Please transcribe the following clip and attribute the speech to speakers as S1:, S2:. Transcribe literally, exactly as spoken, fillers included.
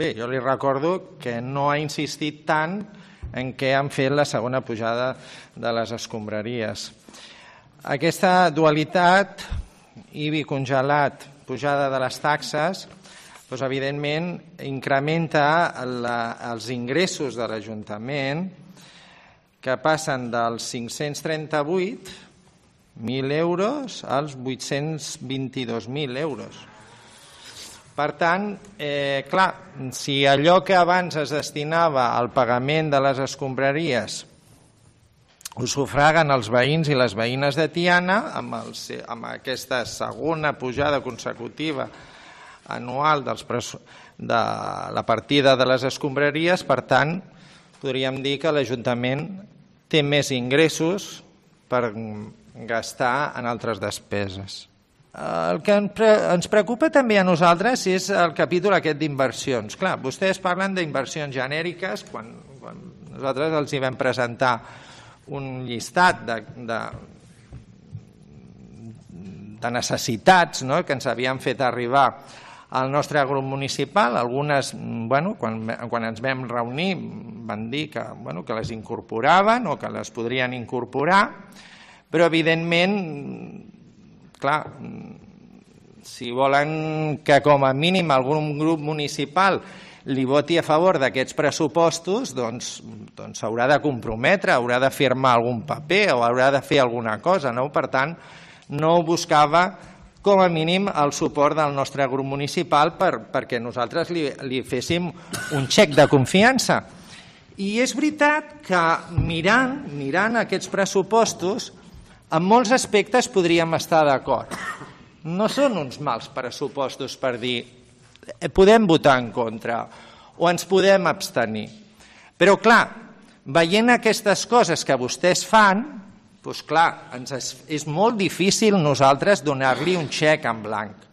S1: Bé, jo li recordo que no ha insistit tant en què han fet la segona pujada de les escombraries. Aquesta dualitat, I B I congelat, pujada de les taxes, doncs, evidentment, incrementa la, els ingressos de l'Ajuntament, que passen dels cinc-cents trenta-vuit mil euros als vuit-cents vint-i-dos mil euros. Per tant, eh, clar, si allò que abans es destinava al pagament de les escombraries ho sufraguen els veïns i les veïnes de Tiana, amb, els, amb aquesta segona pujada consecutiva anual dels de la partida de les escombraries, per tant, podríem dir que l'Ajuntament té més ingressos per gastar en altres despeses. El que ens preocupa també a nosaltres és el capítol aquest d'inversions. Clar, vostès parlen d'inversions genèriques quan, quan nosaltres els hi vam presentar un llistat de, de, de necessitats, no?, que ens havien fet arribar al nostre grup municipal. Algunes, bueno, quan, quan ens vam reunir, van dir que, bueno, que les incorporaven o que les podrien incorporar, però evidentment, clar, si volen que com a mínim algun grup municipal li voti a favor d'aquests pressupostos, doncs doncs s'haurà de comprometre, haurà de firmar algun paper o haurà de fer alguna cosa, no? Per tant, no buscava com a mínim el suport del nostre grup municipal per, perquè nosaltres li, li féssim un xec de confiança. I és veritat que mirant, mirant aquests pressupostos, en molts aspectes podríem estar d'acord. No són uns mals pressupostos per dir podem votar en contra o ens podem abstenir. Però, clar, veient aquestes coses que vostès fan, doncs, clar, ens és, és molt difícil nosaltres donar-li un xec en blanc.